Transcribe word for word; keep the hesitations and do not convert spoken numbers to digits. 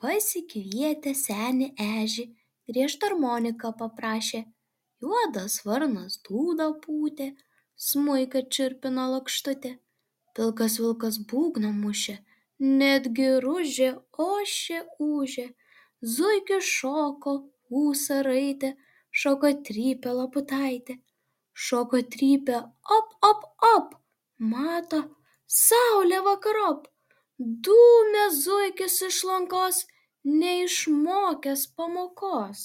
pasikvietę senį ežį, griežtą armoniką paprašė. Juodas varnas dūdą pūtė, smuiką čirpino lakštutė, pilkas vilkas būgną mušė, netgi ružė ošė ūžė, zuikis šoko, ūsą raitė, šoko trypė laputaitė, šoko trypė op op op, mato, saulė vakarop, dūmė zuikis iš lankos, neišmokęs pamokos.